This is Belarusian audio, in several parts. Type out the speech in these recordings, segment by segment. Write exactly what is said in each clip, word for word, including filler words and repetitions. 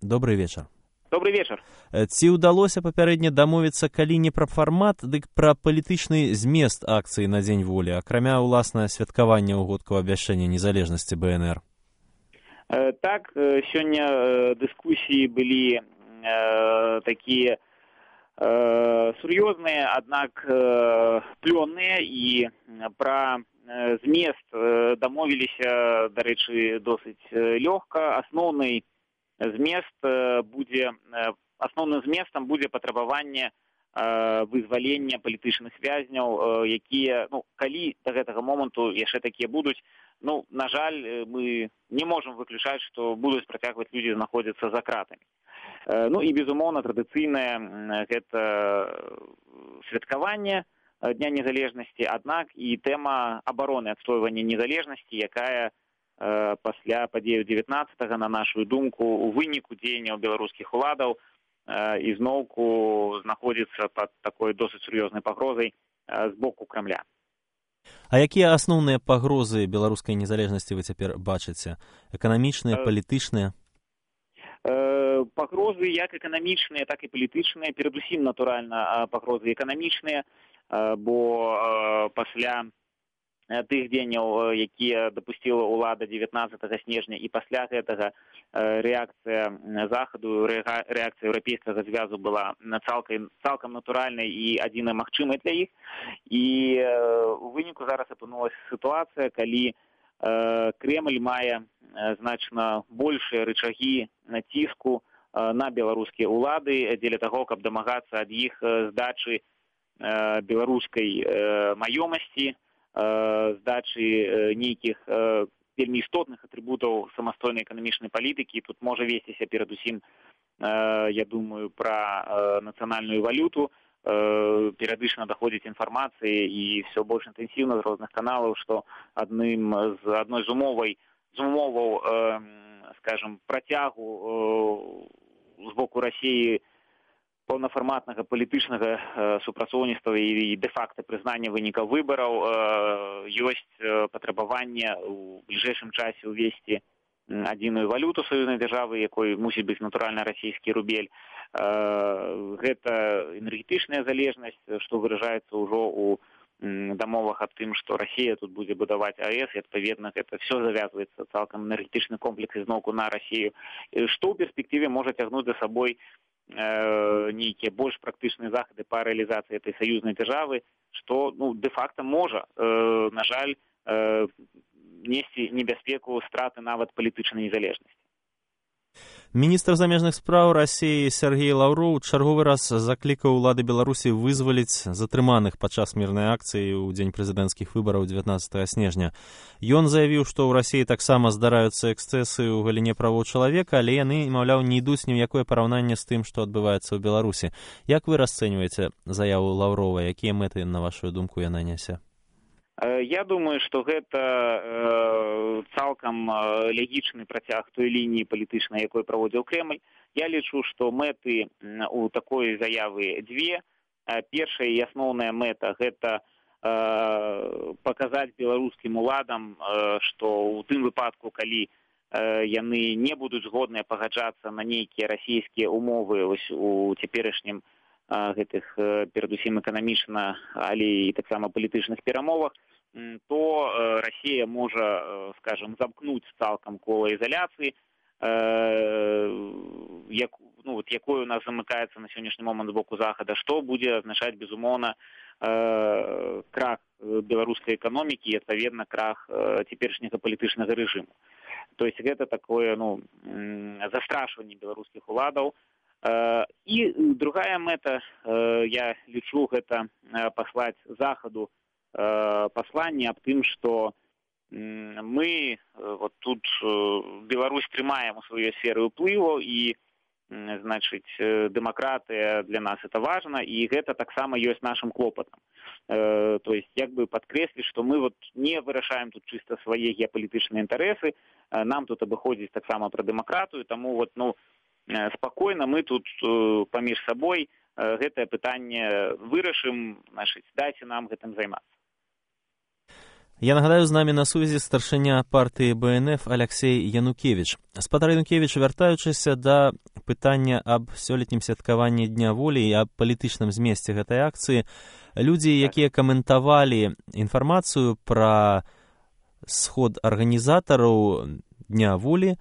Добрый вечар. Добрый вечар. Ці ўдалося папярэдне дамовіцца, калі не пра фармат, дык пра палітычны змест акцыі на Дзень волі, акрамя, уласна, святкавання ўгодку абвяшчэння незалежнасці бэ эн эр? Э, так, сёння э, дыскусіі былі э, такія э, сур'ёзныя, аднак э, плённыя, і пра э, змест э, дамовіліся, дарэчы, досыць э, лёгка. Асноўны змест э, будзе э, Асноўным зместам будзе патрабаванне э, вызвалення палітычных вязняў, э, якія, ну, калі да гэтага моманту яшчэ такія будуць, ну, на жаль, мы не можам выключаць, што будуць працягваць людзі знаходзіцца за кратамі. Э, ну і, безумоўна, традыцыйнае гэта святкаванне Дня незалежнасці, аднак і тэма абароны, адстойвання незалежнасці, якая э, пасля падзеяў дзевятнаццатага, на нашу думку, у выніку дзеянняў беларускіх уладаў і зноўку знаходзіцца пад такой досыць сур'ёзнай пагрозай з боку Крамля. А якія асноўныя пагрозы беларускай незалежнасці вы цяпер бачыце? Эканамічныя, палітычныя? Пагрозы як эканамічныя, так і палітычныя. Перадусім, натуральна, пагрозы эканамічныя, бо пасля тых дзеянняў, якія дапусціла ўлада дзевятнаццатага снежня, і пасля гэтага рэакцыя захаду, рэакцыя еўрапейскага звязу была цалкам, цалкам натуральнай і адзінай магчымай для іх. І у выніку зараз апынулася сітуацыя, калі Кремль мае значна большыя рычагі націску на беларускія ўлады дзеля таго, каб дамагацца ад іх здачы беларускай маёмасці, здачы нейкіх вельмі істотных атрыбутаў самастойнай эканамічнай палітыкі. Тут можа весціся перадусім, я думаю, пра нацыянальную валюту. Перыядычна даходзіць інфармацыі і ўсё больш інтэнсіўна з розных каналаў, што адным з адной з умовай з умоваў, скажем, працягу з боку Расіі паўнафарматнага палітычнага супрацоўніцтва і дэ-факта прызнання вынікаў выбараў ёсць патрабаванне ў бліжэйшым часе ўвесці адзіную валюту саюзнай дзяржавы, якой мусіць быць натуральна расійскі рубель. Гэта энергетычная залежнасць, што выражаецца ўжо ў дамовах аб тым, што Расія тут будзе будаваць а эс, і адпаведна гэта все завязваецца цалкам энергетычны комплекс ізноўку на Расію, што ў перспектыве можа цягнуць за сабой нейкія больш практычныя захады па рэалізацыі этой саюзнай дзяржавы, што, ну, дэ-факта можа, на жаль, несці небяспеку страты нават палітычнай незалежнасці. Міністр замежных спраў Расіі Сергей Лаўроў чарговы раз заклікаў улады Беларусі вызваліць затрыманых падчас мірнай акцыі ў дзень прэзідэнцкіх выбараў дзевятнаццатага снежня. Ён заявіў, што ў Расіі таксама здараюцца эксцэсы ў галіне правоў чалавека, але яны, маўляў, не ідуць ні ў якое параўнанне з тым, што адбываецца ў Беларусі. Як вы расцэньваеце заяву Лаўрова? Якія мэты, на вашу думку, яна нясе? Я думаю, што гэта э, цалкам лягічны працяг той лініі палітычнай, якой праводзіў Кремль. Я лічу, што мэты у такой заявы дзве. Першая і асноўная мэта – гэта э, паказаць беларускім уладам, э, што ў тым выпадку, калі э, яны не будуць згодныя пагаджацца на нейкія расійскія умовы ось у цяперашнім гэтых перадусім эканамічна, але і таксама палітычных перамовах, то Расія можа, скажем, замкнуць цалкам кола изоляцыі, як, ну, вот, якой у нас замыкаецца на сённяшні момант з боку Захада, што будзе азначаць, безумоўна, крах беларускай эканомікі і, адпаведна, крах цяперашняга палітычнага рэжыму. То есть гэта такое, ну, застрашванне беларускіх уладаў. І другая мэта, я лічу, гэта паслаць Захаду пасланне аб тым, што мы вот тут Беларусь трымаем у сваёй сферы ўплыву, і, значыць, дэмакратыя для нас это важна, і гэта таксама ёсць нашым клопатам. То есть, як бы падкрэсліць, што мы вот не вырашаем тут чыста свае геапалітычныя інтарэсы, нам тут абыходзіць таксама пра дэмакратыю, таму вот, ну, спакойна мы тут паміж сабой гэтае пытанне вырашым, значыць, дайце нам гэтым займацца. Я нагадаю, з намі на сувязі старшыня партыі бэ эн эф Аляксей Янукевіч. Спадар Янукевіч, вяртаючыся да пытанне аб сёлетнім святкаванні Дня волі і аб палітычным змесце гэтай акцыі. Людзі, якія каментавалі інфармацыю пра сход арганізатараў Дня волі,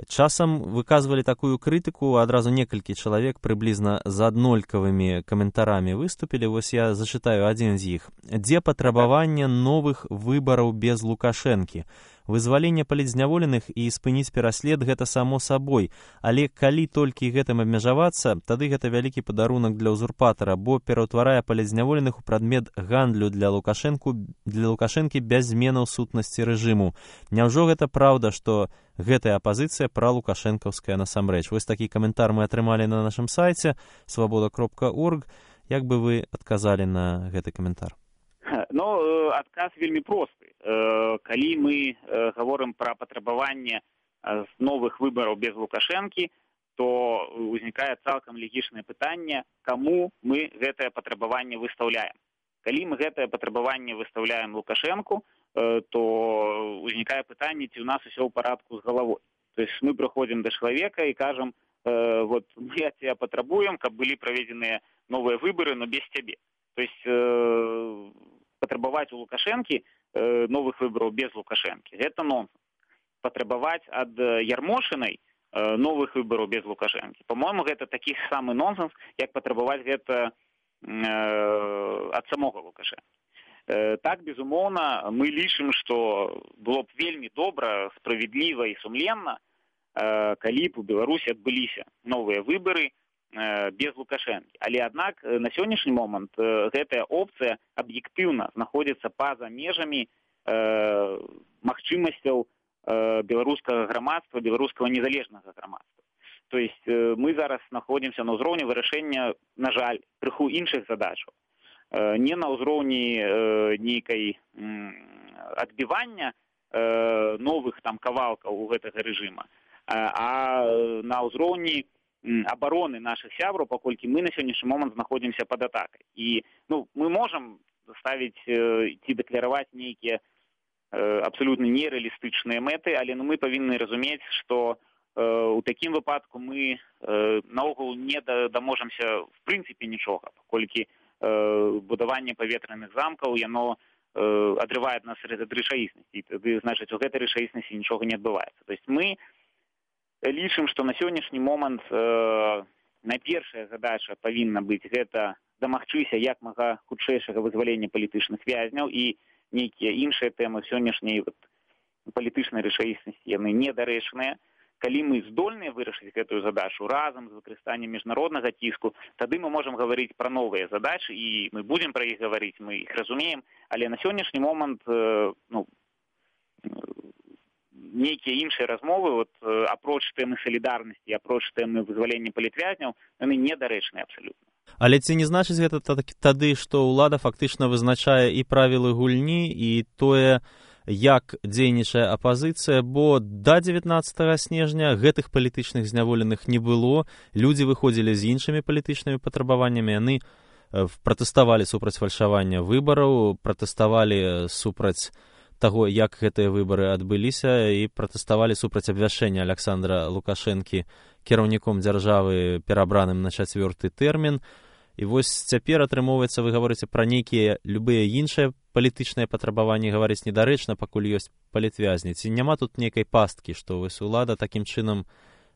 часам выказвалі такую крытыку, адразу некалькі чалавек прыблізна з аднолькавымі каментарамі выступілі. Вось я зачытаю адзін з іх. Дзе патрабаванне новых выбараў без Лукашэнкі? Вызваленне палітзняволеных і спыніць пераслед гэта само сабой, але калі толькі гэтым абмежавацца, тады гэта вялікі падарунак для ўзурпатара, бо пераўтварае палітзняволеных у прадмет гандлю для Лукашэнку, для Лукашэнкі без зменаў сутнасці рэжыму. Няўжо гэта праўда, што гэтая апазіцыя пралукашэнкаўская насамрэч? Вось такі каментар мы атрымалі на нашым сайце свабода кропка орг. Як бы вы адказалі на гэты каментар? Ну, адказ вельмі просты. Калі мы гаворым пра патрабаванне новых выбараў без Лукашэнкі, то ўзнікае цалкам легічнае пытанне, каму мы гэтае патрабаванне выстаўляем. Калі мы гэтае патрабаванне выстаўляем Лукашэнку, то ўзнікае пытанне, ці ў нас усё ў парадку з галавой. То есть мы прыходзім да чалавека і кажам, вот мы ад цябе патрабуем, каб былі праведзеныя новыя выбары, но без цябе. То есть патрабаваць у Лукашэнкі новых выбараў без Лукашэнкі. Гэта нонсенс. Патрабаваць ад Ярмошынай новых выбараў без Лукашэнкі. По-моему, гэта такі самы нонсенс, як патрабаваць гэта ад самога Лукашэнкі. Так, безумоўна, мы лічым, што было б вельмі добра, справядліва і сумленна, калі б у Беларусі адбыліся новыя выбары без Лукашэнкі. Але, аднак, на сённяшні момант гэтая опцыя аб'ектыўна знаходзіцца па-за межамі э, магчымасцяў э, беларускага грамадства, беларускага незалежнага грамадства. То есть э, мы зараз знаходзімся на ўзроўні вырашэння, на жаль, крыху іншых задачаў. Э, не на ўзроўні э, нейкай э, адбівання э, новых там кавалкаў у гэтага рэжыма, а, а на ўзроўні абароны наших сябраў, паколькі мы на сённяшні момант знаходзімся пад атакай. І ну, мы можам ставіць ці дэклараваць нейкія э, абсалютна нерэалістычныя мэты, але ну, мы павінны разумець, што э, у такім выпадку мы э, наогул не даможамся в прынцыпе нічога, паколькі э, будаванне паветраных замкаў, яно э, адрывае ад нас ад рэчаіснасці. Тады, значыць, у гэтай рэчаіснасці нічога не адбываецца. То есть мы лічым, што на сённяшні момант э, найпершая задача павінна быць гэта дамагчыся як мага хутчэйшага вызвалення палітычных вязняў, і нейкія іншыя тэмы сённяшняй вот, палітычнай рэчаіснасці яны недарэчныя. Калі мы здольныя вырашыць гэтую задачу разам з выкарыстаннем міжнароднага ціску, тады мы можам гаварыць пра новыя задачы, і мы будзем пра іх гаварыць, мы іх разумеем, але на сённяшні момант э, ну, нейкія іншыя размовы, вот, апроч тэмы салідарнасці, апроч тэмы вызвалення палітвязняў, яны недарэчныя абсалютна. Але ці не значыць гэта тады, што ўлада фактычна вызначае і правілы гульні, і тое, як дзейнічае апазіцыя, бо да дзевятнаццатага снежня гэтых палітычных зняволеных не было, людзі выходзілі з іншымі палітычнымі патрабаваннямі, яны пратэставалі супраць фальшавання выбараў, пратэставалі супраць таго, як гэтыя выбары адбыліся, і пратэставалі супраць абвяшчэння Аляксандра Лукашэнкі кіраўніком дзяржавы, перабраным на чацвёрты тэрмін. І вось цяпер, атрымоўваецца, вы гаворыце пра нейкія любыя іншыя палітычныя патрабаванні, гаварыць недарэчна, пакуль ёсць палітвязні. Ці няма тут нейкай пасткі, што вось улада такім чынам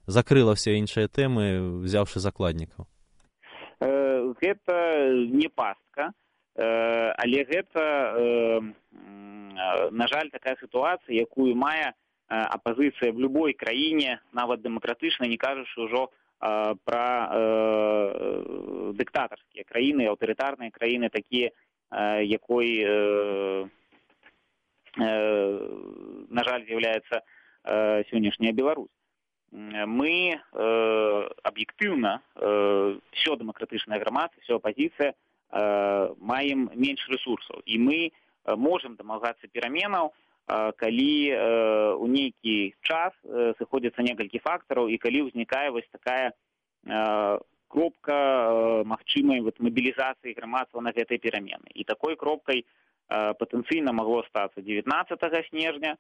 закрыла ўсе іншыя тэмы, взяўшы закладнікаў? Гэта не пастка, але гэта, на жаль, такая сітуацыя, якую мае апазіцыя в любой краіне, нават дэмакратычнай, не кажучы ўжо пра дыктатарскія краіны, аўтарытарныя краіны, такія, якой, на жаль, з'яўляецца сённяшняя Беларусь. Мы аб'ектыўна, всё дэмакратычнае грамадства, всё апазіцыя, маем менш рэсурсаў. І мы можам дамагацца пераменаў, калі у нейкі час сыходзяцца некалькі фактараў, і калі ўзнікае вось такая кропка магчымай вот мабілізацыі грамадства на гэтай перамены. І такой кропкай патэнцыйна магло стацца дзевятнаццатага снежня.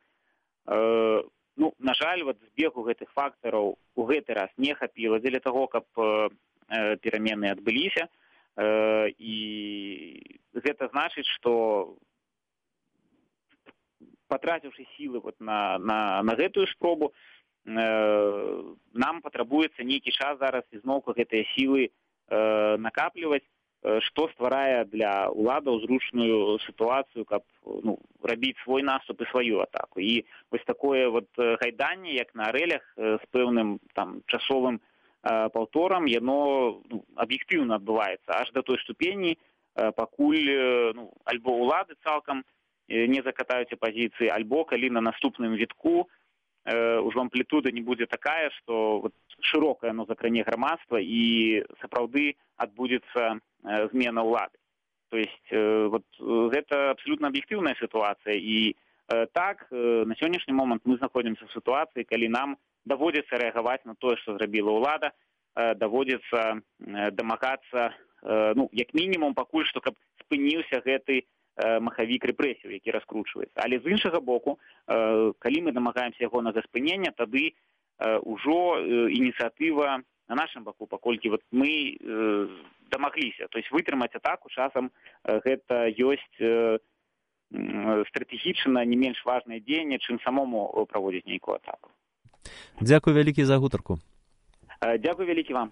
ну, на жаль, вот збегу гэтых фактараў у гэты раз не хапіла дзеля таго, каб э, перамены адбыліся. Э, і гэта значыць, што патраціўшы сілы вот на, на, на гэтую спробу, э, нам патрабуецца нейкі час зараз ізноўку гэтыя сілы э, накапліваць, э, што стварае для ўладаў зручную сітуацыю, каб ну, рабіць свой наступ і сваю атаку. І вось такое вот гайданне, як на арэлях, э, з пэўным там часовым э, паўторам, яно ну, аб'ектыўна адбываецца аж да той ступені, э, пакуль э, ну, альбо ўлады цалкам не закатаюць апазіцыі, альбо калі на наступным вітку э, ўжо амплітуда не будзе такая, што вот, шырокая ну, закране грамадства і сапраўды адбудзецца э, змена ўлады. То есть э, вот, гэта абсалютна аб'ектыўная сітуацыя. І э, так, э, на сённяшні момант мы знаходзімся в сітуацыі, калі нам даводзіцца рэагаваць на тое, што зрабіла ўлада, э, даводзіцца э, дамагацца, э, ну, як мінімум, пакуль што, каб спыніўся гэты махавік рэпрэсіў, які раскручваецца. Але з іншага боку, калі мы дамагаемся ягонага спынення, тады ўжо ініцыятыва на нашым баку, паколькі вот мы дамагліся. То есть вытрымаць атаку часам гэта ёсць стратэгічна не менш важнае дзеянне, чым самому праводзіць нейкую атаку. Дзякуй вялікі за гутарку. Дзякуй вялікі вам.